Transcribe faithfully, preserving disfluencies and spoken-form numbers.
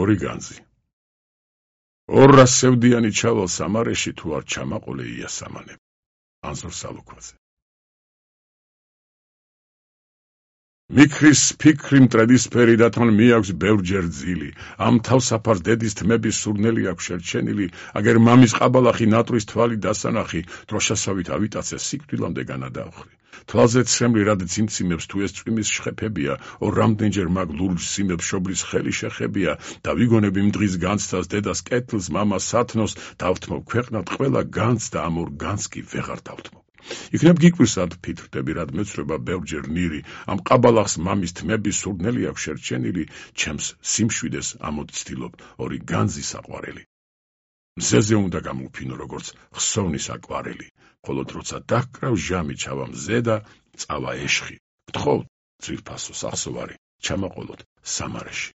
ორი განძი. ორ სევდიანი ჩავალ სამარეში თუ არ ჩამაყოლე იასამანებ. ანზორ სალუქვაძე. მიქრის ფიქრი მტრედისფერი და თან მიაქვს ბევრჯერ ძილი. ამ თავსაფარს დედის თმების სურნელი აქვს შერჩენილი, აგერ მამის ყაბალახი ნატრის თვალი დასანახი, დროშასავით ავიტაცე სიკვდილამდე განადავხრი. თვალზე ცრემლი რად ძიმციმებს თუ ეს წვიმის შხეფებია, ორ რამდენჯერ მაგ ლურჯ სიმებს შობლის ხელი შეხებია, და ვიგონები იმ დღის განცდას დედას კეთილს, მამას სათნოს, დავთმობ ქვეყნად ყველა განცს და ამ ორ განცს კი ვეღარ დავთმობ. იქნებ გიკვირს რად ფიქრდები, რად მეცრება ბევრჯერ ნირი, ამ ყაბალახს მამის თმების სურნელი აქვს შერჩენილი, ჩემს სიმშვიდეს ამოდ ცდილობ ორი განძი საყვარელი. მზეზე უნდა გამოვფინო როგორც ხსოვნის აკვარელი, მხოლოდ როცა დაგკრავ ჟამი ჩავა მზე და წავა ეშხი. გთხოვთ, ძვირფასო სახსოვარი, ჩამაყოლოთ სამარეში.